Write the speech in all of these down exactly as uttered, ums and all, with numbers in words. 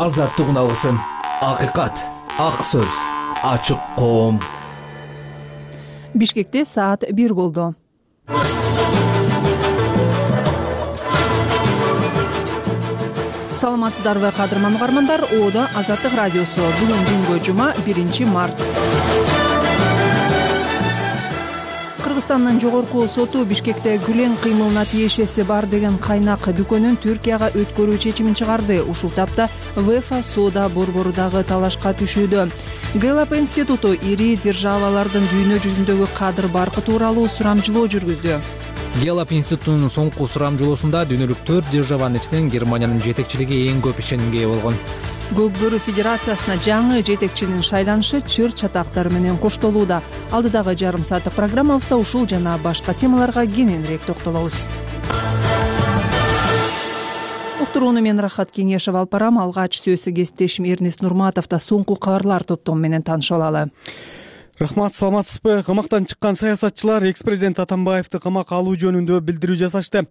азаттык алсын. Акыйкат, ак сөз, ачык коом. Бишкекте саат бир болду. Саламатсыздарбы кадырман угармандар, Оодо Азаттык радиосу. Бүгүн күнгө жума биринчи март. Кыргызстандын жогорку соту Бишкекте Гүлен кыймылына тиешеси бар деген кайнак дүкөнүн Түркияга өткөрүү чечимин чыгарды. Ушул тапта ВЭФА соода борборудагы талашка түшүүдө. Гэлап институту ири державалардын дүйнө жүзүндөгү кадыр баркы тууралуу сурамжылоо жүргүздү. Гэлап институтунун соңку сурамжылоосунда дүйнөлүк төрт державанын ичинен Германиянын жетекчилиги эң көп ишенимге ээ болгон. Көк бөрү федерациясына жаңы жетекчинин шайланышы чыр чатактары менен коштолууда. Алдыдагы жарым сааттык программабызда ушул жана башка темаларга кененирээк токтолобуз. Уктурууну мен Рахат Кеңешев алып барам. Алгач сөзсү кесиптешим Эрнест Нурматовда соңку кабарлар топтому менен таанышып алалы. Рахмат, саламатсызбы? Камактан чыккан саясатчылар экс-президент Атамбаевди камакка алуу жөнүндө билдирүү жасашты.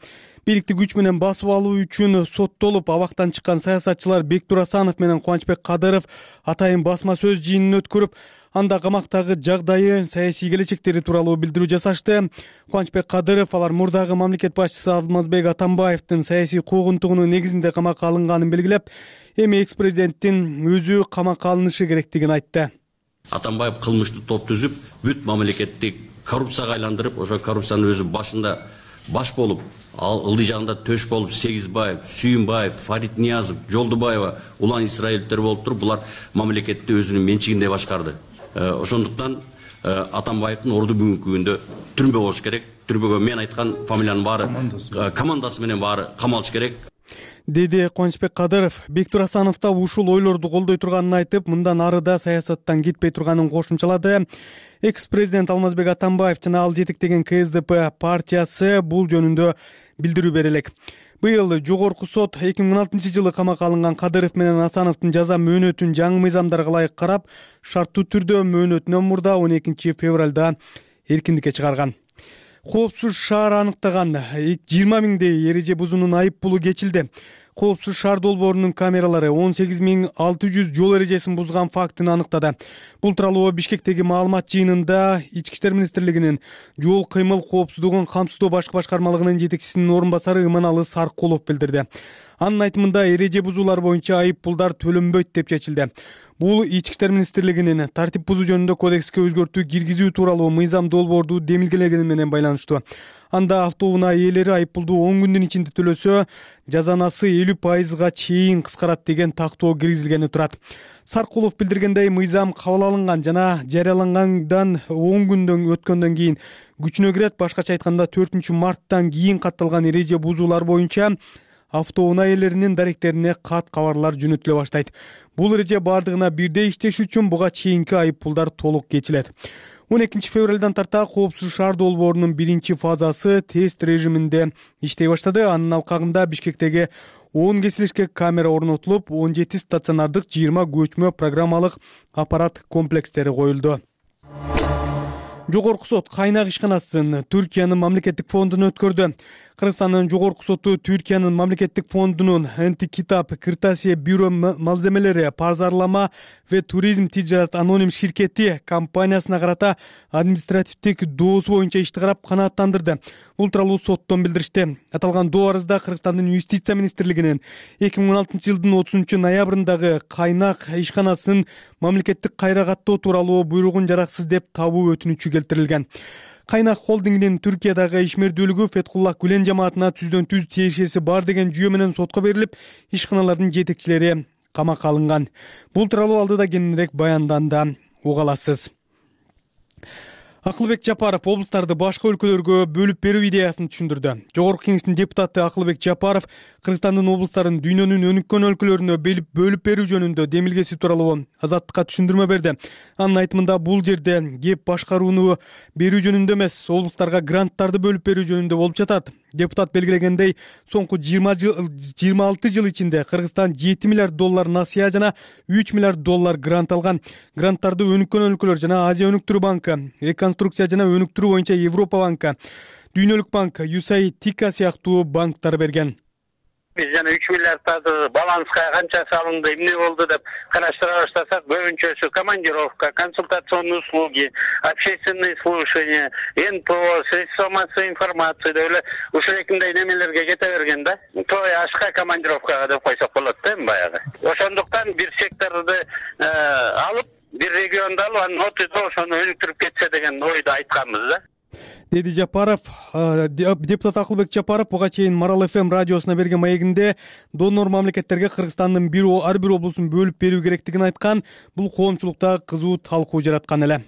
Бийликти күч менен басып алуу үчүн соттолуп абактан чыккан саясатчылар Бектур Асанов менен Кубанычбек Кадыров атайын басма сөз жыйынын өткөрүп, анда камактагы жагдайы, саясий келечектери тууралуу билдирүү жасашты. Кубанычбек Кадыров алар мурдагы мамлекет башчысы Алмазбек Атамбаевдин саясий куугунтугунун негизинде камакка алынганын белгилеп, эми экс-президенттин өзү камакка алынышы керектигин айтты. Атамбаев кылмыштуу топ түзүп, бүт мамлекетти коррупцияга айландырып, ошо коррупциянын өзү башында баш болуп, ал ылдый жагында төш болуп, Сегизбаев, Сүйүнбаев, Фарид Ниязов, Жолдубаева, Улан Исраиловдер болуп туруп, булар мамлекетти өзүнүн менчигинде башкарды. Ошондуктан Атамбаевдин орду бүгүнкү күндө түрмө болуш керек. Түрмөгө мен айткан фамилиянын баары командасы менен баары камалыш керек, деди Кубанычбек Кадыров. Бектур Асанов да ушул ойлорду колдой турганын айтып, мындан ары да саясаттан кетпей турганын кошумчалады. Экс-президент Алмазбек Атамбаев жана ал жетектеген КСДП партиясы бул жөнүндө билдирүү бере элек. Быйыл жогорку сот эки миң он алтынчы жылы камакка алынган Кадыров менен Асановдун жаза мөөнөтүн жаңы мыйзамдарга ылайык карап, шарттуу түрдө мөөнөтүнөн мурда он экинчи февралда эркиндикке чыгарган. Коопсуз шаар аныктаган жыйырма миңдей эреже бузуунун айып пулу кечилди. Коопсуз шаар долбоорунун камералары он сегиз миң алты жүз жол эрежесин бузган фактын аныктады. Бул тууралуу Бишкектеги маалымат жыйынында Ички иштер министрлигинин жол кыймыл коопсуздугун камсыздоо башкы башкармалыгынын жетекчисинин орун басары Иманалы Саркулов билдирди. Анын айтымында эреже бузуулар боюнча айып пулдар төлөнбөйт деп чечилди. Бул Ички иштер министрлигинин тартип бузуу жөнүндө кодекске өзгөртүү киргизүү тууралуу мыйзам долбоорду демилгелегени менен байланыштуу. Анда автоунаа ээлери айып пулду он күндүн ичинде төлөсө, жазанасы элүү пайызга чейин кыскарат деген тактоо киргизилгени турат. Саркулов билдиргендей, мыйзам кабыл алынган жана жарыялангандан он күндөн өткөндөн кийин күчүнө кирет. Башкача айтканда төртүнчү марттан кийин катталган эреже бузуулар боюнча автоунаа ээлеринин даректерине кат кабарлар жөнөтүлө баштайт. Бул эреже бардыгына бирдей иштеш үчүн буга чейинки айып пулдар толук кечилет. он экинчи февралдан тарта коопсуз шаар долбоорунун биринчи фазасы тест режиминде иштей баштады. Анын алкагында Бишкектеги он кесилишке камера орнотулуп, он жети стационардык, жыйырма көчмө программалык аппарат комплекстери коюлду. Жогорку сот кайнак ишканасын Түркиянын мамлекеттик фондуна өткөрдү. Кыргызстандын жогорку соту Түркиянын мамлекеттик фондунун Антикитап, Кыртасия бюро малземелери, пазарлама ve туризм тижарат аноним ширкети компаниясына карата административдик доосу боюнча ишти карап канааттандырды. Бул тууралуу соттон билдиришти. Аталган доо арызда Кыргызстандын юстиция министрлигинин эки миң он алтынчы жылдын отузунчу ноябрындагы кайнак ишканасын мамлекеттик кайра каттоо тууралуу буйругун жараксыз деп табуу өтүнүчү келтирилген. Кайнак холдингинин Түркиядагы ишмердүүлүгү Фетхуллах Гүлен жамаатына түздөн түз тиешеси бар деген жүйө менен сотко берилип, ишканалардын жетекчилери камакка алынган. Бул тууралуу алдыда кененирээк баянданда уга аласыз. Акылбек Жапаров облустарды башка өлкөлөргө бөлүп берүү идеясын түшүндүрдү. Жогорку кеңештин депутаты Акылбек Жапаров Кыргызстандын облустарын дүйнөнүн өнүккөн өлкөлөрүнө бөлүп берүү жөнүндө демилгеси тууралуу Азаттыкка түшүндүрмө берди. Анын айтымында бул жерде кеп башкарууну берүү жөнүндө эмес, облустарга гранттарды бөлүп берүү жөнүндө болуп жатат. Депутат белгилегендей, соңку жыйырма алты жыл ичинде Кыргызстан жети миллиард доллар насыя жана үч миллиард доллар грант алган. Гранттарды өнүккөн өлкөлөр жана Азия өнүктүрүү банкы, реконструкция жана өнүктүрүү боюнча Европа банкы, Дүйнөлүк банк, ю эс эй, Тика сыяктуу банктар берген. биз жана үч миллиардтарды баланска канча салынды, эмне болду деп караштыра баштасак, көбүнчөсү командировка, консультационные услуги, общественные слушания, эн пэ о, средства массовой информации деп эле ушундай немелерге кете берген да. Той ашка командировкага деп койсок болот да эми баягы. Ошондуктан бир секторду алып, бир регионду алып, анын отузда ошону өнүктүрүп кетсе деген ойду айтканбыз да, деди Жапаров. Депутат Акылбек Жапаров буга чейин Марал эф эм радиосуна берген маегинде донор мамлекеттерге Кыргызстандын бир ар бир облусун бөлүп берүү керектигин айткан. Бул коомчулукта кызуу талкуу жараткан эле.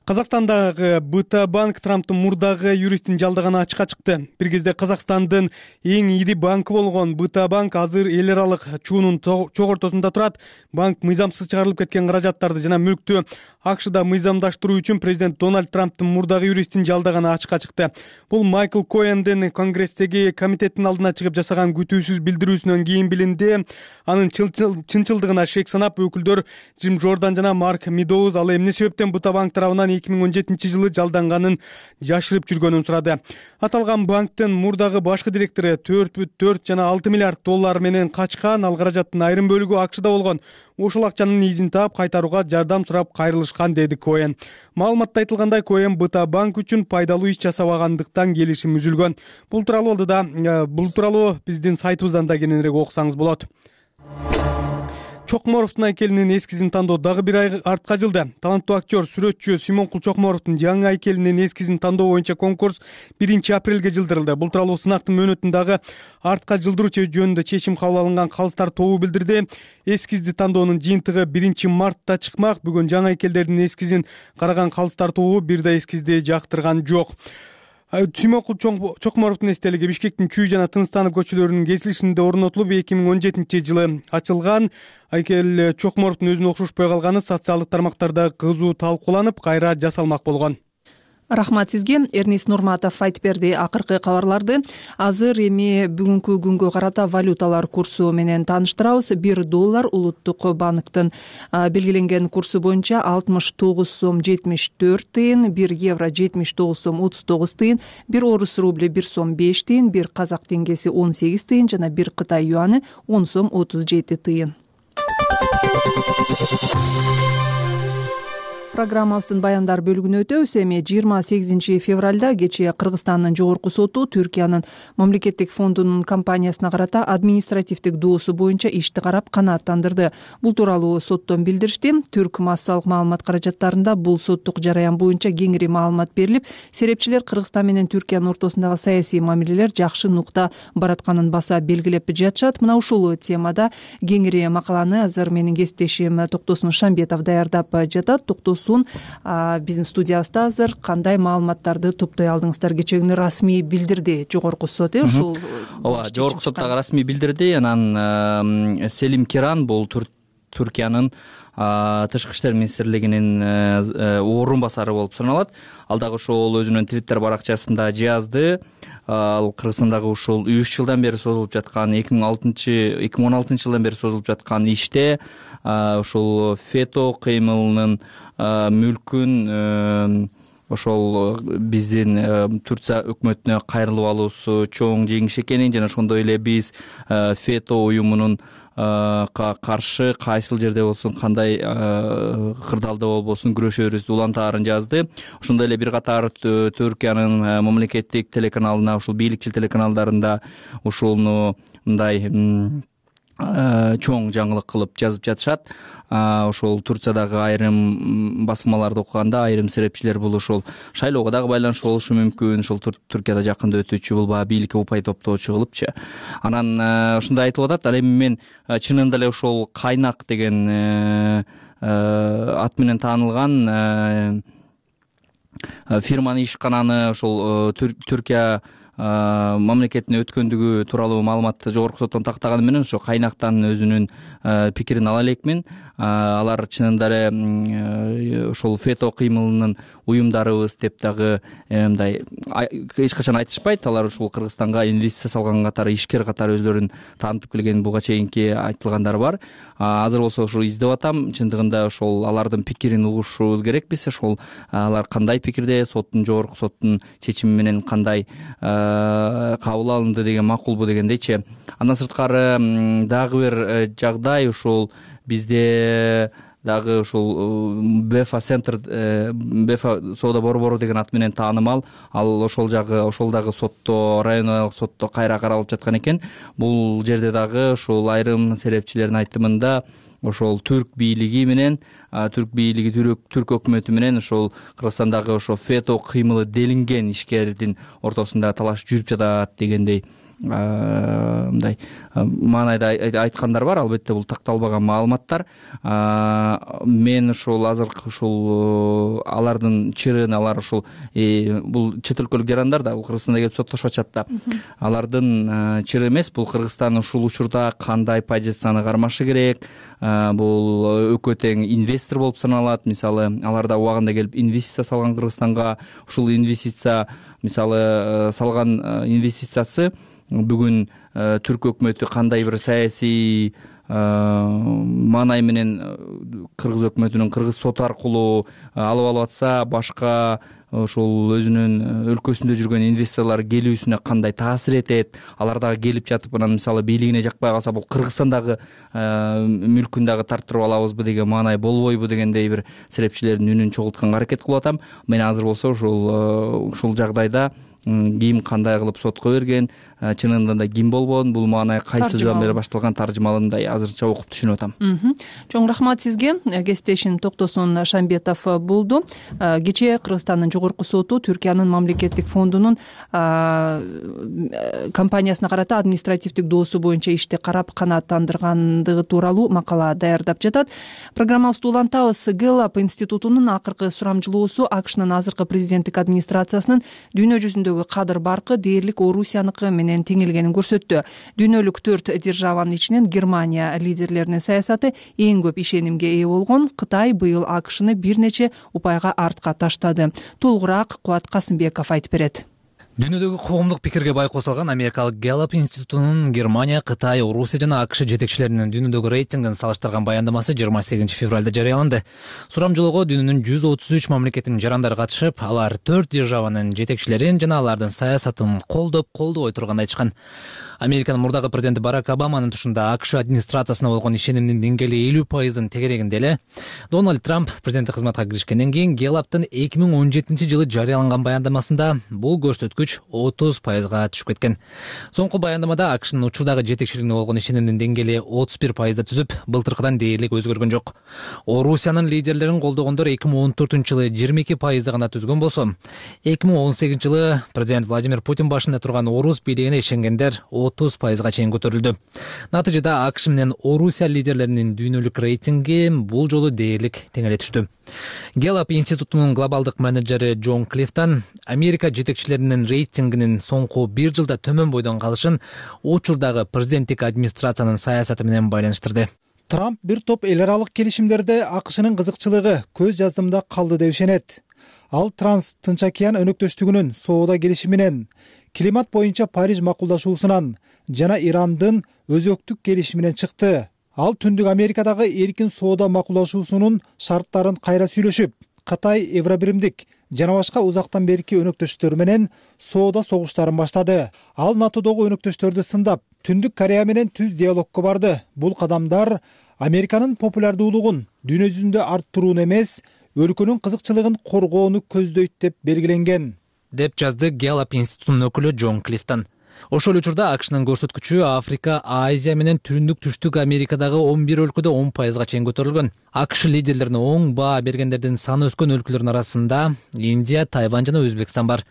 Казакстандагы бэ тэ банк Трамптын мурдагы юристин жалдаганы ачыкка чыкты. Бир кезде Казакстандын эң ири банкы болгон бэ тэ банк азыр эл аралык чуунун чогортосунда турат. Банк мыйзамсыз чыгарылып кеткен каражаттарды жана мүлктү АКШда мыйзамдаштыруу үчүн президент Дональд Трамптын мурдагы юристин жалдаганы ачыкка чыкты. Бул Майкл Коэндин Конгресстеги комитеттин алдына чыгып жасаган күтүүсүз билдирүүсүнөн кийин билинди. Анын чынчылдыгына шек санап, өкүлдөр Джим Жордан жана Марк Медоуз ал эмне себептен бэ тэ банк тарабынан эки миң он жетинчи жылы жалданганын жашырып жүргөнүн сурады. Аталган банктын мурдагы башкы директору төрт бүтүн төрт жана алты миллиард доллар менен качкан. Ал каражаттын айрым бөлүгү АКШда болгон. Ошол акчанын изин таап кайтарууга жардам сурап кайрылышкан, деди Коэн. Маалыматта айтылгандай, Коэн бэ тэ банк үчүн пайдалуу иш жасабагандыктан келишим үзүлгөн. Бул тууралуу да бул тууралуу биздин сайтыбыздан да кененирээк окусаңыз болот. Чокморовдун айкелинин эскизин тандоо дагы бир ай артка жылды. Таланттуу актер, сүрөтчү Симонкул Чокморовдун жаңы айкелинин эскизин тандоо боюнча конкурс биринчи апрелге жылдырылды. Бул тууралуу сынактын мөөнөтүн дагы артка жылдыруу жөнүндө чечим кабыл алынган калыстар тобу билдирди. Эскизди тандоонун жыйынтыгы биринчи мартта чыкмак. Бүгүн жаңы айкелдердин эскизин караган калыстар тобу бир да эскизди жактырган жок. Симонкул Чокморовдун эстелиги Бишкектин Чүй жана Тынстанов көчөлөрүнүн кесилишинде орнотулуп, эки миң он жетинчи жылы ачылган. Айкел Чокморовдун өзүнө окшошпой калганы социалдык тармактарда кызуу талкууланып, кайра жасалмак болгон. Рахмат сизге. Эрнис Нурматов айтып берди акыркы кабарларды. Азыр эми бүгүнкү күнгө карата валюталар курсу менен тааныштырабыз. бир доллар улуттук банктын белгиленген курсу боюнча алтымыш тогуз сом жетимиш төрт тыйын, бир евро жетимиш тогуз сом отуз тогуз тыйын, бир орус рубль бир сом беш тыйын, бир казак теңгеси он сегиз тыйын жана бир кытай юаны он сом отуз жети тыйын. Программабыздын баяндар бөлүгүнө өтөбүз. Эми жыйырма сегизинчи февралда кечээ Кыргызстандын жогорку соту Түркиянын мамлекеттик фондунун компаниясына карата административдик доосу боюнча ишти карап канааттандырды. Бул тууралуу соттон билдиришти. Түрк массалык маалымат каражаттарында бул соттук жараян боюнча кеңири маалымат берилип, серепчилер Кыргызстан менен Түркиянын ортосундагы саясий мамилелер жакшы нукта баратканын баса белгилеп жатышат. Мына ушул темада кеңири макаланы азыр менин кесиптешим Токтосун Шамбетов даярдап жатат. Токтосун биздин студиябызда азыр кандай маалыматтарды топтой алдыңыздар? Кечээ күнү расмий билдирди жогорку сот, э ушул. Ооба, жогорку сот дагы расмий билдирди. Анан Селим Киран бул Түркиянын тышкы иштер министрлигинин орун басары болуп саналат. Ал дагы ошол өзүнүн Twitter баракчасында жазды. Ал Кыргызстандагы ушул үч жылдан бери созулуп жаткан эки миң алтынчы эки миң он алтынчы жылдан бери созулуп жаткан иште ушул фето кыймылынын мүлкүн ошол биздин Турция өкмөтүнө кайрылып алуусу чоң жеңиш экенин жана ошондой эле биз фето уюмунун каршы кайсыл жерде болсун, кандай кырдаалда болбосун күрөшөбүз улантаарын жазды. Ошондой эле бир катар Түркиянын мамлекеттик телеканалына, ушул бийликчил телеканалдарында ушуну мындай чоң жаңылык кылып жазып жатышат. Ошол Турциядагы айрым басмаларды окуганда айрым серепчилер бул ошол шайлоого дагы байланыштуу болушу мүмкүн, ошол Түркияда жакында өтүүчү бул баягы бийликке упай топтоочу кылыпчы. Анан ушундай айтылып атат. Ал эми мен чынында эле ошол Кайнак деген ат менен таанылган фирманын ишкананы ошол Түркия мамлекетине өткөндүгү тууралуу маалыматты жогорку соттон тактаганы менен ошо Кайнактан өзүнүн пикирин ала элекмин. Алар чынында эле ошол фето кыймылынын уюмдарыбыз деп дагы мындай эч качан айтышпайт. Алар ушул Кыргызстанга инвестиция салган катары, ишкер катары өзүлөрүн таанытып келген буга чейинки айтылгандар бар. Азыр болсо ошо издеп атам. Чындыгында ошол алардын пикирин угушубуз керекпиз. Ошол алар кандай пикирде, соттун жогорку соттун чечими менен кандай кабыл алынды деген макулбу дегендейчи. Андан сырткары дагы бир жагдай ушул бизде дагы ушул Бефа центр Бефа соода борбору деген ат менен таанымал. Ал ошол жагы ошол дагы сотто, районалык сотто кайра каралып жаткан экен. Бул жерде дагы ушул айрым серепчилердин айтымында ошол түрк бийлиги менен түрк бийлиги түрк өкмөтү менен ошол Кыргызстандагы ошо фето кыймылы делинген ишкердин ортосунда талаш жүрүп жатат дегендей мындай маанайда айткандар бар. Албетте бул такталбаган маалыматтар. Мен ушул азыркы ушул алардын чырын алар ушул бул чет өлкөлүк жарандар да бул Кыргызстанда келип соттошуп атышат да. Алардын чыры эмес, бул Кыргызстан ушул учурда кандай позицияны кармашы керек, бул экөө тең инвестор болуп саналат. Мисалы, аларда убагында келип инвестиция салган Кыргызстанга, ушул инвестиция мисалы салган инвестициясы бүгүн түрк өкмөтү кандай бир саясий маанай менен кыргыз өкмөтүнүн кыргыз соту аркылуу алып алып атса, башка ошол өзүнүн өлкөсүндө жүргөн инвесторлор келүүсүнө кандай таасир этет, алар дагы келип жатып анан мисалы бийлигине жакпай калса бул Кыргызстандагы мүлкүн дагы тарттырып алабызбы деген маанай болбойбу дегендей бир серепчилердин үнүн чогултканга аракет кылып атам. Мен азыр болсо ушул ушул жагдайда ким кандай кылып сотко берген, чынында да ким болгон, бул маанай кайсы жылдан бери башталган таржымалындай азырча окуп түшүнүп атам. Чоң рахмат сизге. Кесиптешим Токтосун Шамбетов болду. Кечээ Кыргызстандын жогорку соту Түркиянын мамлекеттик фондунун компаниясына карата административдик доосу боюнча ишти карап канааттандыргандыгы тууралуу макала даярдап жатат. Программабызды улантабыз. Гэллап институтунун акыркы сурамжылоосу АКШнын азыркы президенттик администрациясынын дүйнө жүзүндөгү кадыр баркы дээрлик Орусияныкы менен теңелгенин көрсөттү. Дүйнөлүк төрт державанын ичинен Германия лидерлеринин саясаты эң көп ишенимге ээ болгон. Кытай быйыл АКШны бир нече упайга артка таштады. Толугураак Кубат Касымбеков айтып берет. Дүйнөдөгү коомдук пикирге бай косулган Америкалык Гэллап институтунун Германия, Кытай, Орусия жана АКШ жетекчилеринин дүйнөдөгү рейтингин салыштырган баяндамасы жыйырма сегизинчи февралда жарыяланды. Сурамжылоого дүйнөнүн жүз отуз үч мамлекетинин жарандары катышып, алар төрт державанын жетекчилерин жана алардын саясатын колдоп, колдобой турганын айтышкан. Американын мурдагы президенти Барак Обаманын тушунда АКШ администрациясына болгон ишенимдин деңгээли элүү пайыздын тегерегинде эле. Дональд Трамп президенттик кызматка киришкенден кийин Гэллаптын эки миң он жетинчи жылы жарыяланган баяндамасында бул көрсөткүч отуз пайызга түшүп кеткен. Соңку баяндамада АКШнын учурдагы жетекчилигине болгон ишенимдин деңгээли отуз бир пайызда түзүп, былтыркыдан дээрлик өзгөргөн жок. Орусиянын лидерлерин колдогондор эки миң он төртүнчү жылы жыйырма эки пайызда гана түзгөн болсо, эки миң он сегизинчи жылы президент Владимир Путин башында турган орус бийлигине ишенгендер отуз пайызга чейин көтөрүлдү. Натыйжада АКШ менен Орусия лидерлеринин дүйнөлүк рейтинги бул жолу дээрлик теңеле түштү. Гэллап институтунун глобалдык менеджери Джон Клифтон Америка жетекчилеринин рейтингинин соңку бир жылда төмөн бойдон калышын учурдагы президенттик администрациянын саясаты менен байланыштырды. Трамп бир топ эл аралык келишимдерде АКШнын кызыкчылыгы көз жаздымда калды деп ишенет. Ал Транс Тынч океан өнөктөштүгүнүн соода келишиминен, климат боюнча Париж макулдашуусунан жана Ирандын өзөктүк келишиминен чыкты. Ал Түндүк Америкадагы эркин соода макулдашуусунун шарттарын кайра сүйлөшүп, Кытай, Евробиримдик жана башка узактан берки өнөктөштөр менен соода согуштарын баштады. Ал НАТОдогу өнөктөштөрдү сындап, Түндүк Корея менен түз диалогко барды. Бул кадамдар Американын популярдуулугун дүйнө жүзүндө арттырууну эмес, өлкөнүн кызыкчылыгын коргоону көздөйт деп белгиленген, деп жазды Гэллап институтунун өкүлү Джон Клифтон. Ошол учурда АКШнын көрсөткүчү Африка, Азия менен Түндүк Түштүк Америкадагы он бир өлкөдө он пайызга чейин көтөрүлгөн. АКШ лидерлерине оң баа бергендердин саны өскөн өлкөлөрдүн арасында Индия, Тайвань жана Өзбекстан бар.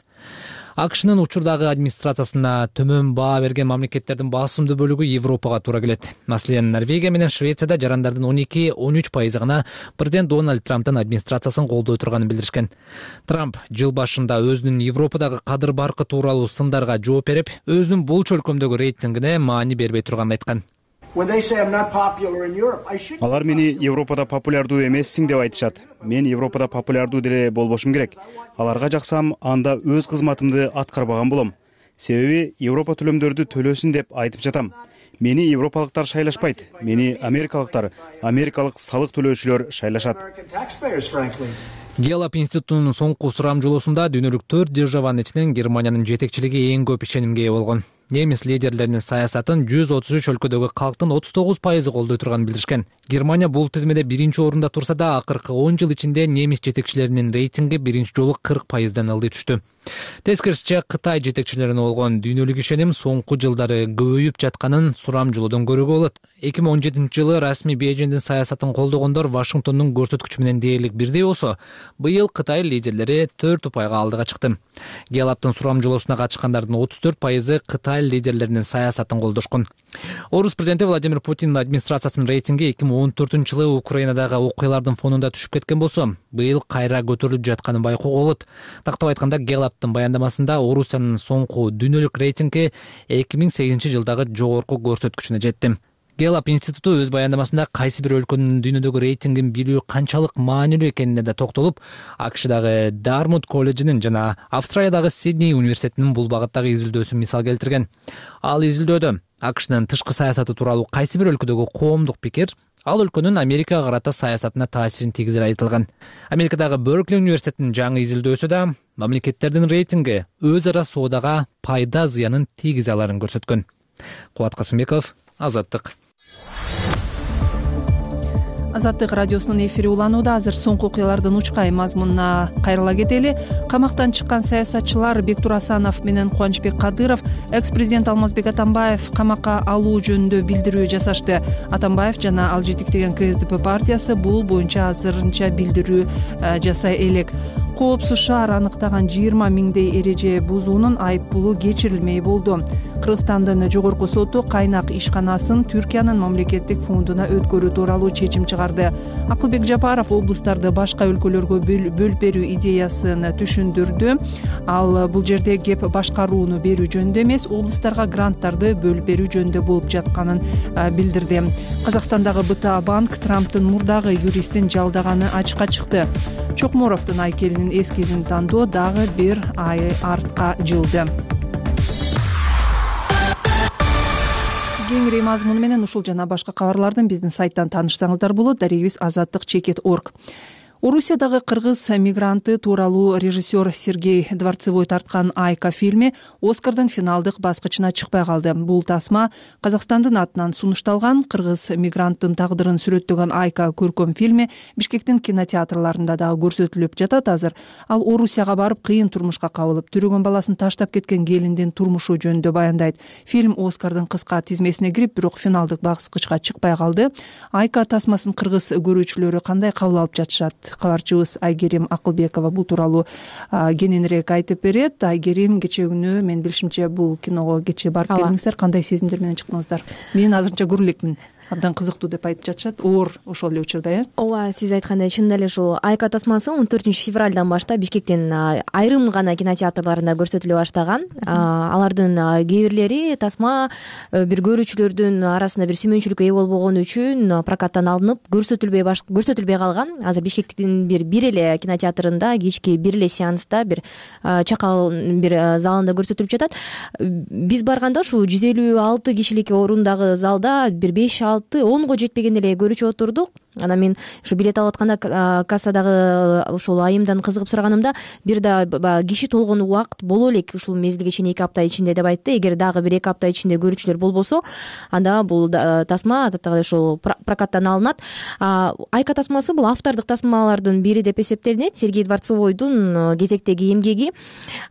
АКШнын учурдагы администрациясына төмөн баа берген мамлекеттердин басымдуу бөлүгү Европага туура келет. Маселен, Норвегия менен Швецияда жарандардын он эки — он үч пайызы гана президент Дональд Трамптын администрациясын колдой турганын билдиришкен. Трамп жыл башында өзүнүн Европадагы кадыр баркы тууралуу сындарга жооп берип, өзүнүн болчу өлкөмдөгү рейтингине маани бербей турганын айткан. Алар мени Европада популярдуу эмессиң деп айтышат. Мен Европада популярдуу деле болбошум керек. Аларга жаксам, анда өз кызматымды аткарбаган болом. Себеби Европа төлөмдөрдү төлөсүн деп айтып жатам. Мени европалыктар шайлашпайт. Мени америкалыктар, америкалык салык төлөөчүлөр шайлашат. Гэллап институтунун соңку сурамжылоосунда дүйнөлүк төрт державанын ичинен Германиянын жетекчилиги эң көп ишенимге ээ болгон. Немис лидерлеринин саясатын жүз отуз үч өлкөдөгү калктын отуз тогуз пайызы колдой турганын билдиришкен. Германия бул тизмеде биринчи орунда турса да, акыркы он жыл ичинде немис жетекчилеринин рейтинги биринчи жолу кырк пайыздан ылдый түштү. Тескерисинче, Кытай жетекчилерине болгон дүйнөлүк ишеним соңку жылдары көбөйүп жатканын сурамжылоодон көрүүгө болот. эки миң он жетинчи жылы расмий Бейжиңдин саясатын колдогондор Вашингтондун көрсөткүчү менен дээрлик бирдей болсо, быйыл Кытай лидерлери төрт упайга алдыга чыкты. Геллаптын сурамжылоосуна катышкандардын отуз төрт пайызы Кытай лидерлеринин саясатын колдошкон. Орус президенти Владимир Путиндин администрациясынын рейтинги эки миң он төртүнчү жылы Украинадагы окуялардын фонунда түшүп кеткен болсо, быйыл кайра көтөрүлүп жатканын байкоого болот. Тактап айтканда, Геллаптын баяндамасында Орусиянын соңку дүйнөлүк рейтинги эки миң сегизинчи жылдагы жогорку көрсөткүчүнө жетти. Геллап институту өз баяндамасында кайсы бир өлкөнүн дүйнөдөгү рейтингин билүү канчалык маанилүү экенине да токтолуп, АКШдагы Дармут колледжинин жана Австралиядагы Сидней университетинин бул багыттагы изилдөөсүн мисал келтирген. Ал изилдөөдө АКШнын тышкы саясаты тууралуу кайсы бир өлкөдөгү коомдук пикир ал өлкөнүн Америкага карата саясатына таасирин тийгизери айтылган. Америкадагы Беркли университетинин жаңы изилдөөсү да мамлекеттердин рейтинги өз ара соодага пайда зыянын тийгизе аларын көрсөткөн. Кубат Касымбеков, Азаттык. Азаттык радиосунун эфири уланууда. Азыр соңку окуялардын учкай мазмунуна кайрыла кетели. Камактан чыккан саясатчылар Бектур Асанов менен Кубанычбек Кадыров экс-президент Алмазбек Атамбаев камакка алуу жөнүндө билдирүү жасашты. Атамбаев жана ал жетектеген КСДП партиясы бул боюнча азырынча билдирүү жасай элек. Коопсуз шаар аныктаган жыйырма миңдей эреже бузуунун айып пулу кечирилмей болду. Кыргызстандын жогорку соту кайнак ишканасын Түркиянын мамлекеттик фондуна өткөрүү тууралуу чечим чыгарды. Акылбек Жапаров облустарды башка өлкөлөргө бөлүп берүү идеясын түшүндүрдү. Ал бул жерде кеп башкарууну берүү жөнүндө эмес, облустарга гранттарды бөлүп берүү жөнүндө болуп жатканын билдирди. Казакстандагы БТА банк Трамптын мурдагы юристин жалдаганы ачыкка чыкты. Чокморовдун айкелинин эскизин тандоо дагы бир ай артка жылды. Кеңири мазмуну менен ушул жана башка кабарлардын биздин сайттан таанышсаңыздар болот. Дарегибиз азаттык чекит точка орг. Орусиядагы кыргыз мигранты тууралуу режиссер Сергей Дворцевой тарткан Айка фильми Оскардын финалдык баскычына чыкпай калды. Бул тасма Казакстандын атынан сунушталган. Кыргыз мигранттын тагдырын сүрөттөгөн Айка көркөм фильми Бишкектин кинотеатрларында дагы көрсөтүлүп жатат азыр. Ал Орусияга барып кыйын турмушка кабылып, түрөгөн баласын таштап кеткен келиндин турмушу жөнүндө баяндайт. Фильм Оскардын кыска тизмесине кирип, бирок финалдык баскычка чыкпай калды. Айка тасмасын кыргыз көрүүчүлөрү кандай кабыл алып жатышат? Кабарчыбыз Айгерим Акылбекова бул тууралуу кененирээк айтып берет. Айгерим, кечээ күнү мен билишимче бул киного кечээ барып келдиңиздер. Кандай сезимдер менен чыктыңыздар? Мен азырынча көрө элекмин. Абдан кызыктуу деп айтып жатышат. Оор ошол эле учурда, э? Ооба, сиз айткандай чындап эле ушул Айка тасмасы он төртүнчү февралдан баштап Бишкектин айрым гана кинотеатрларында көрсөтүлө баштаган. Алардын кээ бирлери тасма бир көрүүчүлөрдүн арасында бир сүймөнчүлүккө ээ болбогону үчүн прокаттан алынып көрсөтүлбөй көрсөтүлбөй калган. Азыр Бишкектин бир бир эле кинотеатрында кечки бир эле сеанста бир чакал бир залында көрсөтүлүп жатат. Биз барганда ушу жүз элүү алты кишилик орундагы залда бир беш алты онго жетпеген эле көрүүчү отурдук. Анан мен ушу билет алып атканда кассадагы ушул айымдан кызыгып сураганымда бир да киши толгон убакыт боло элек ушул мезгилге чейин эки апта ичинде деп айтты. Эгер дагы бир эки апта ичинде көрүүчүлөр болбосо, анда бул тасма адаттагы ушул прокаттан алынат. Айка тасмасы бул автордук тасмалардын бири деп эсептелинет. Сергей Дворцевойдун кезектеги эмгеги.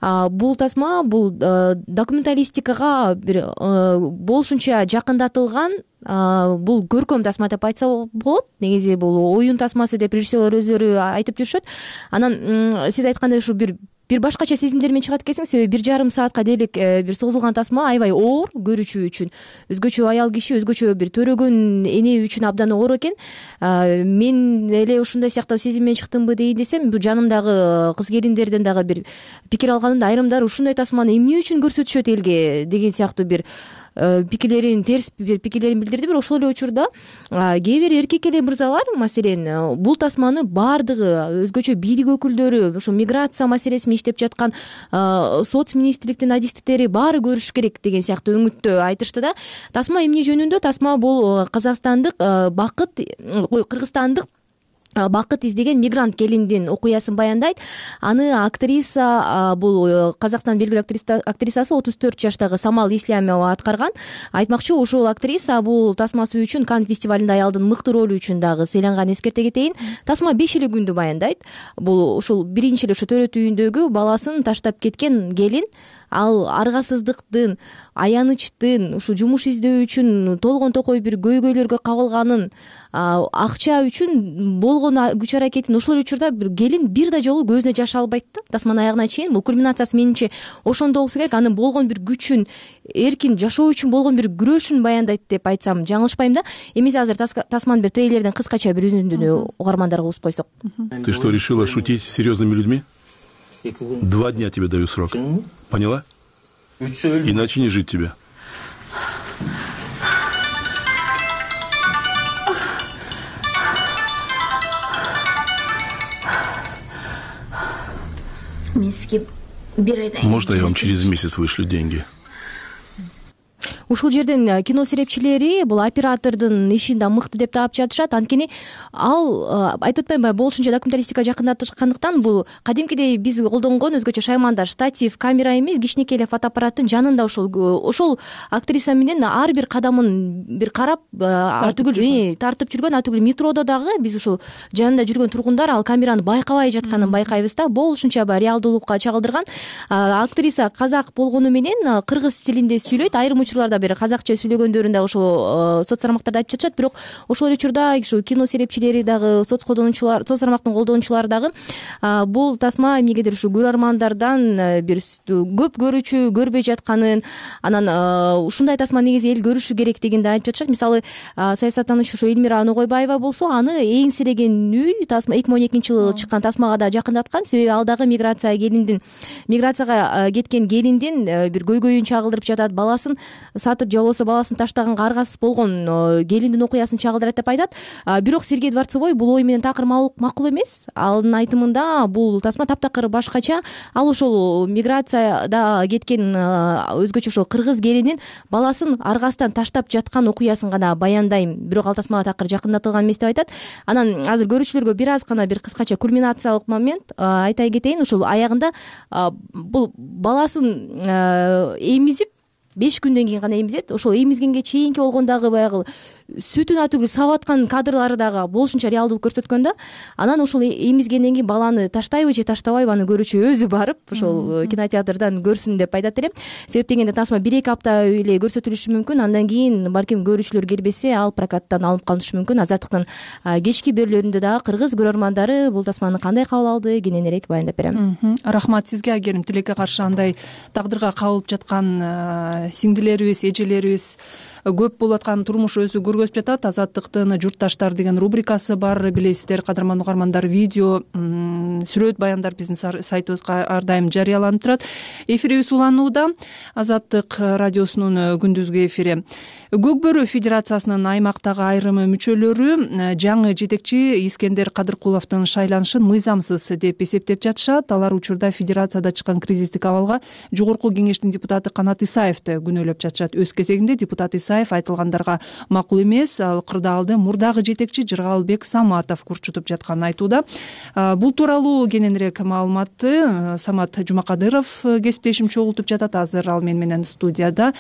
Бул тасма бул документалистикага бир болушунча жакындатылган бул көркөм тасма деп айтса болот. Негизи бул оюн тасмасы деп режиссерлор өздөрү айтып жүрүшөт. Анан сиз айткандай ушу бир бир башкача сезимдер менен чыгат экенсиң, себеби бир жарым саатка дээрлик бир созулган тасма аябай оор көрүүчү үчүн. Өзгөчө аял киши, өзгөчө бир төрөгөн эне үчүн абдан оор экен. Мен эле ушундай сыяктуу сезим менен чыктымбы дейин десем, бул жанымдагы кыз келиндерден дагы бир пикир алганымда айрымдары ушундай тасманы эмне үчүн көрсөтүшөт элге деген сыяктуу бир пикирлерин терс бир пикирлерин билдирди. Бирок ошол эле учурда кээ бир эркек эле мырзалар, маселен, бул тасманы баардыгы өзгөчө бийлик өкүлдөрү, ушу миграция маселесин иштеп жаткан соц министрликтин адистиктери баары көрүш керек деген сыяктуу үмүттө айтышты да. Тасма эмне жөнүндө? Тасма бул казакстандык бакыт, Кыргызстандык бакыт издеген мигрант келиндин окуясын баяндайт. Аны актриса, бул Казакстандын белгилүү актрисасы отуз төрт жаштагы Самал Ислямова аткарган. Айтмакчы, ушул актриса бул тасмасы үчүн Канн фестивалында аялдын мыкты ролу үчүн дагы сыйланган. Эскерте кетейин, тасма беш эле күндү баяндайт. Бул ушул биринчи эле ушу төрөт үйүндөгү баласын таштап кеткен келин, ал аргасыздыктын, аянычтын, ушу жумуш издөө үчүн толгон токой бир көйгөйлөргө кабылганын, акча үчүн болгон күч аракетин ошол учурда бир келин бир да жолу көзүнө жаш албайт да, тасманын аягына чейин. Бул кульминациясы менимче ошондо болсо керек. Анын болгон бир күчүн, эркин жашоо үчүн болгон бир күрөшүн баяндайт деп айтсам жаңылышпайм да. Эмесе азыр тасманын бир трейлерден кыскача бир үзүндүнү угармандарга угуп койсок. Ты что, решила шутить с серьезными людьми? Два дня тебе даю срок. Поняла? Иначе не жить тебе. Может, я вам через месяц вышлю деньги? Ушул жерден кино серепчилери бул оператордун ишин да мыкты деп таап жатышат. Анткени ал, айтып атпаймынбы, болушунча документалистикага жакындаткандыктан бул кадимкидей биз колдонгон өзгөчө шайманда штатив камера эмес, кичинекей эле фотоаппараттын жанында ошол ошол актриса менен ар бир кадамын бир карап атүгүл тартып жүргөн. Атүгүл метродо дагы биз ушул жанында жүргөн тургундар ал камераны байкабай жатканын байкайбыз да. Болушунча реалдуулукка чагылдырган. Актриса казак болгону менен кыргыз тилинде сүйлөйт. Айрым учурларда бир казакча сүйлөгөндөрүн да ошол соц тармактарда айтып жатышат. Бирок ошол эле учурда ушу кино серепчилери дагы, соц колдонуучулар, соц тармактын колдонуучулары дагы бул тасма эмнегедир ушу көрөрмандардан бир көп көрүүчү көрбөй жатканын, анан ушундай тасма негизи эл көрүшү керек дегенди айтып жатышат. Мисалы, саясаттануучу ушу Элмира Ногойбаева болсо аны эңсиреген үй тасма эки миң он экинчи жылы чыккан тасмага да жакындаткан. Себеби ал дагы миграция келиндин миграцияга кеткен келиндин бир көйгөйүн чагылдырып жатат. Баласын сатып же болбосо баласын таштаганга аргасыз болгон келиндин окуясын чагылдырат деп айтат. Бирок Сергей Дворцовой бул ой менен такыр макул эмес. Анын айтымында бул тасма таптакыр башкача. Ал ошол миграцияда кеткен өзгөчө ошол кыргыз келинин баласын аргасынан таштап жаткан окуясын гана баяндайм. Бирок ал тасмага такыр жакындатылган эмес деп айтат. Анан азыр көрүүчүлөргө бир аз гана бир кыскача кульминациялык момент айтай кетейин. Ушул аягында бул баласын эмизип беш күндөн кийин гана эмизет. Ошол эмизгенге чейинки болгондагы баягы сүтүн атүгүл сабап аткан кадрлары дагы болушунча реалдуулук көрсөткөн да. Анан ошол эмизгенден кийин баланы таштайбы же таштабайбы аны көрүүчү өзү барып ошол кинотеатрдан көрсүн деп айтат элем. Себеп дегенде тасма бир эки апта эле көрсөтүлүшү мүмкүн. Андан кийин балким көрүүчүлөр келбесе ал прокаттан алынып калышы мүмкүн. Азаттыктын кечки берүүлөрүндө дагы кыргыз көрөрмандары бул тасманы кандай кабыл алды кененирээк баяндап берем. Рахмат сизге. Айгерим, тилекке каршы андай тагдырга кабылып жаткан сиңдилерибиз, эжелерибиз көп болуп аткан турмуш өзү көргөзүп жатат. Азаттыктын журтташтар деген рубрикасы бар, билесиздер кадырман угармандар. Видео, сүрөт баяндар биздин сайтыбызга ар дайым жарыяланып турат. Эфирибиз уланууда. Азаттык радиосунун күндүзгү эфири. Көкбөрү Федерациясынын аймактагы айрым мүчөлөрү жаңы жетекчи Искендер Кадыркуловдун шайланышын мыйзамсыз деп эсептеп жатышат. Алар учурда федерацияда чыккан кризистик абалга жогорку кеңештин депутаты Канат Исаевди күнөөлөп жатышат. Өз кезегинде депутат Исаев айтылгандарга макул эмес, ал кырдаалды мурдагы жетекчи Жыргалбек Саматов курчутуп жатканын айтууда. Бул тууралуу кененирээк маалыматты Самат Жумакадыров кесиптешим чогултуп жатат. Азыр ал мен менен студияда.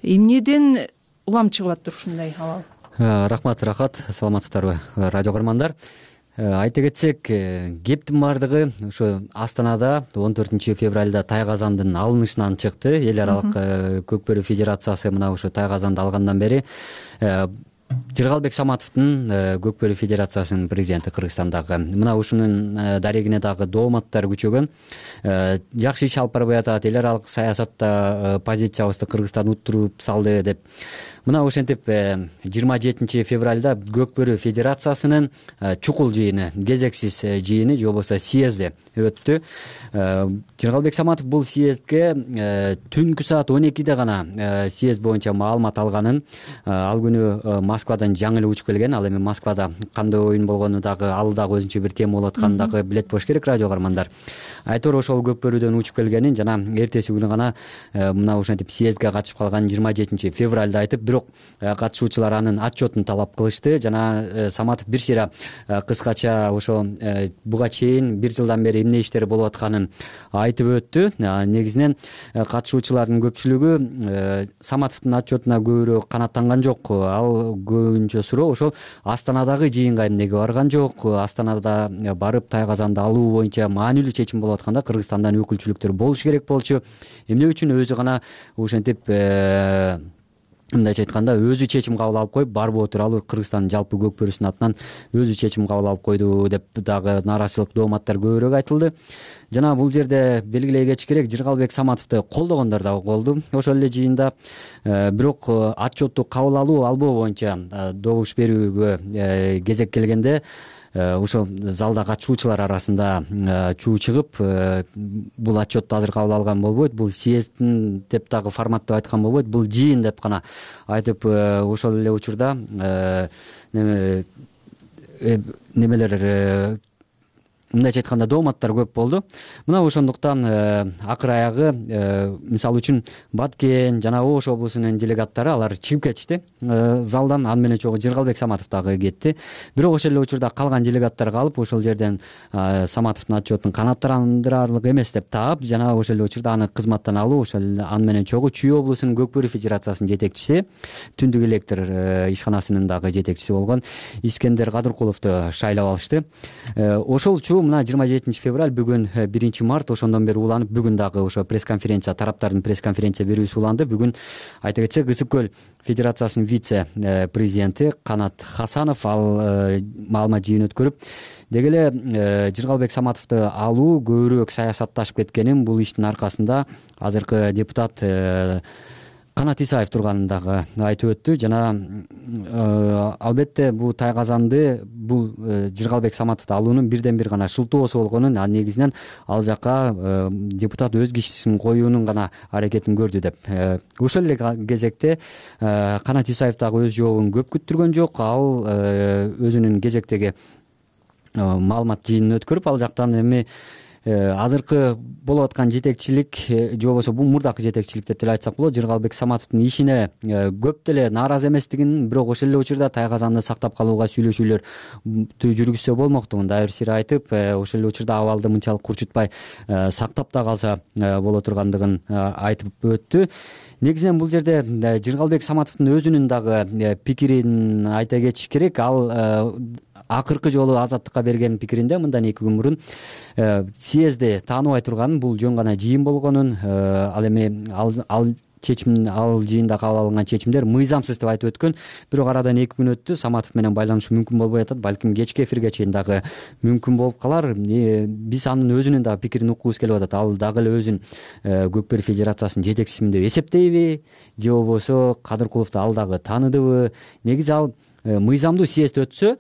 Эмнеден улам чыгып атыптыр ушундай абал? Рахмат, рахат, саламатсыздарбы радио көрөрмандар. Айта кетсек, кептин баардыгы ушу Астанада он төртүнчү февралда Тайгазандын алынышынан чыкты. Эл аралык Көкбөрү Федерациясы мына ушу Тайгазанды алгандан бери Жыргалбек Саматовдун Көкбөрү Федерациясынын президенти Кыргызстандагы. Мына ушунун дарегине дагы дооматтар күчөгөн. Жакшы иш алып барбай атат, эл аралык саясатта позициябызды Кыргызстан уттуруп салды деп. Мына ошентип жыйырма жетинчи февралда Көкбөрү Федерациясынын чукул жыйыны, кезексиз жыйыны же болбосо съезди өттү. Жыргалбек Саматов бул съездге түнкү саат он экиде гана съезд боюнча маалымат алганын, ал күнү Москвадан жаңы эле учуп келген. Ал эми Москвада кандай оюн болгону дагы ал дагы өзүнчө бир тема болуп атканын дагы билет болуш керек радио каармандар. Айтор ошол Көкбөрүдөн учуп келгенин жана эртеси күнү гана мына ушинтип съездге катышып калган жыйырма жетинчи февралда айтып, бирок катышуучулар анын отчетун талап кылышты. Жана Саматов бир сыйра кыскача ошо буга чейин бир жылдан бери эмне иштери болуп атканын айтып өттү. Негизинен катышуучулардын көпчүлүгү Саматовдун отчетуна көбүрөөк канааттанган жок. Ал көбүнчө суроо ошол Астанадагы жыйынга эмнеге барган жок, Астанада барып Тайгазанды алуу боюнча маанилүү чечим болуп атканда Кыргызстандан өкүлчүлүктөр болуш керек болчу. Эмне үчүн өзү гана ошентип мындайча айтканда өзү чечим кабыл алып коюп барбоо тууралуу Кыргызстандын жалпы көкбөрүсүнүн атынан өзү чечим кабыл алып койду деп дагы нааразычылык дооматтар көбүрөөк айтылды. Жана бул жерде белгилей кетиш керек, Жыргалбек Саматовду колдогондор дагы болду ошол эле жыйында. Бирок отчетту кабыл алуу албоо боюнча добуш берүүгө кезек келгенде ошол залда катышуучулар арасында чуу чыгып, бул отчетту азыр кабыл алган болбойт, бул съезддин деп дагы форматтап айткан болбойт, бул жыйын деп гана айтып, ошол эле учурда немелер мындайча айтканда дооматтар көп болду. Мына ошондуктан акыр аягы мисалы үчүн Баткен жана Ош облусунун делегаттары алар чыгып кетишти залдан, аны менен чогуу Жыргалбек Саматов дагы кетти. Бирок ошол эле учурда калган делегаттар калып, ошол жерден Саматовдун отчетун канааттандырарлык эмес деп таап, жана ошол эле учурда аны кызматтан алуу, ошол аны менен чогуу Чүй облусунун Көкбөрү федерациясынын жетекчиси, Түндүк электр ишканасынын дагы жетекчиси болгон Искендер Кадыркуловду шайлап алышты. Ошол чуу мына жыйырма жетинчи февраль, бүгүн биринчи март, ошондон бери уланып, бүгүн дагы ошо пресс-конференция, тараптардын пресс-конференция берүүсү уланды. Бүгүн айта кетсек, Ысык көл федерациясынын вице президенти Канат Хасанов ал маалымат жыйын өткөрүп, деги эле Жыргалбек Саматовду алуу көбүрөөк саясатташып кеткенин, бул иштин аркасында азыркы депутат Канат Исаев турганын дагы айтып өттү. Жана албетте бул Тайгазанды, бул Жыргалбек Саматовду алуунун бирден бир гана шылтоосу болгонун, а негизинен ал жака депутат өз кишисин коюунун гана аракетин көрдү деп. Ошол эле кезекте Канат Исаев дагы өз жообун көп күттүргөн жок. Ал өзүнүн кезектеги маалымат жыйынын өткөрүп, ал жактан эми азыркы болуп аткан жетекчилик же болбосо бул мурдакы жетекчилик деп деле айтсак болот, Жыргалбек Саматовдун ишине көп деле нааразы эместигин, бирок ошол эле учурда Тайгазанды сактап калууга сүйлөшүүлөр жүргүзсө болмоктугун дагы бир сыйра айтып, ошол эле учурда абалды мынчалык курчутпай сактап да калса боло тургандыгын айтып өттү. Негизинен бул жерде Жыргалбек Саматовдун өзүнүн дагы пикирин айта кетиш керек. Ал акыркы жолу Азаттыкка берген пикиринде мындан эки күн мурун съездди тааныбай турганын, бул жөн гана жыйын болгонун, ал эми ал чечим, ал жыйында кабыл алынган чечимдер мыйзамсыз деп айтып өткөн. Бирок арадан эки күн өттү, Саматов менен байланышуу мүмкүн болбой атат, балким кечки эфирге чейин дагы мүмкүн болуп калар. Биз анын өзүнүн дагы пикирин уккубуз келип атат. Ал дагы эле өзүн Көкбөрү федерациясынын жетекчисимин деп эсептейби же болбосо Кадыркуловду ал дагы тааныдыбы? Негизи ал мыйзамдуу съезд өтсө,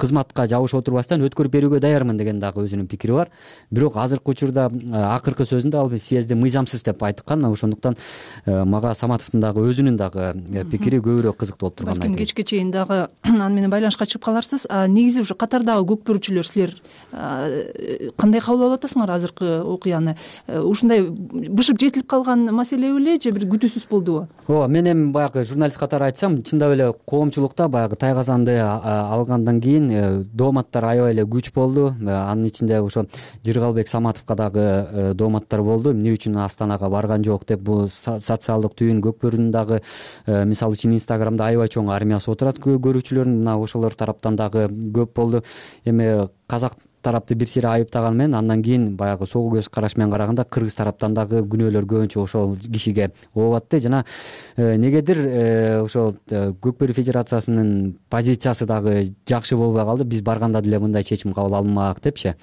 кызматка жабыш отурбастан өткөрүп берүүгө даярмын деген дагы өзүнүн пикири бар. Бирок азыркы учурда акыркы сөзүндө ал съездди мыйзамсыз деп айткан. Ошондуктан мага Саматовдун дагы өзүнүн дагы пикири көбүрөөк кызыктуу болуп турганын айтып. Балким кечке чейин дагы аны менен байланышка чыгып каларсыз. Негизи ушу катардагы көкбөрүчүлөр, силер кандай кабыл алып атасыңар азыркы окуяны? Ушундай бышып жетилип калган маселе беле же бир күтүүсүз болдубу? Ооба, мен эми баягы журналист катары айтсам, чындап эле коомчулукта баягы Тайгазанды алгандан кийин дооматтар аябай эле күч болду. Анын ичинде ошо Жыргалбек Саматовго дагы дооматтар болду. Эмне үчүн Астанага барган жок деп, бул социалдык түйүн Көкбөрүнүн дагы мисалы үчүн Инстаграмда аябай чоң армиясы отурат көрүүчүлөрүн, мына ошолор тараптан дагы көп болду. Эми казак тарапты бир сыйра айыптаган менен андан кийин баягы согуу көз караш менен караганда кыргыз тараптан дагы күнөөлөр көбүнчө ошол кишиге ооп атты. Жана негедир ошол Көкбөрү федерациясынын позициясы дагы жакшы болбой калды. Биз барганда деле мындай чечим кабыл алынмак депчи.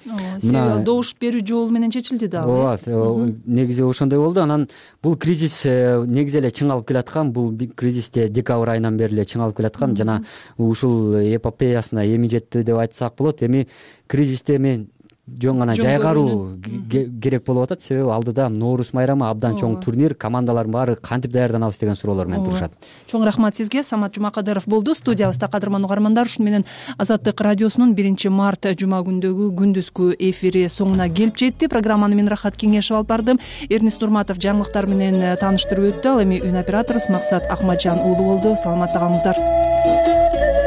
Мына добуш берүү жолу менен чечилди дагы. Ооба, негизи ошондой болду. Анан бул кризис негизи эле чыңалып келаткан. Бул кризисте декабрь айынан бери эле чыңалып келаткан. Жана ушул эпопеясына эми жетти деп айтсак болот. Эми кризисте эми жөн гана жайгаруу керек болуп атат, себеби алдыда нооруз майрамы, абдан чоң турнир, командалардын баары кантип даярданабыз деген суроолор менен турушат. Чоң рахмат сизге. Самат Жумакадыров болду студиябызда. Кадырман угармандар, ушуну менен Азаттык радиосунун биринчи март жума күндөгү күндүзгү эфири соңуна келип жетти. Программаны мен Рахат Кеңешев алып бардым. Эрнис Нурматов жаңылыктар менен тааныштырып өттү. Ал эми үн операторубуз Максат Акматжан уулу болду. Саламатта калыңыздар.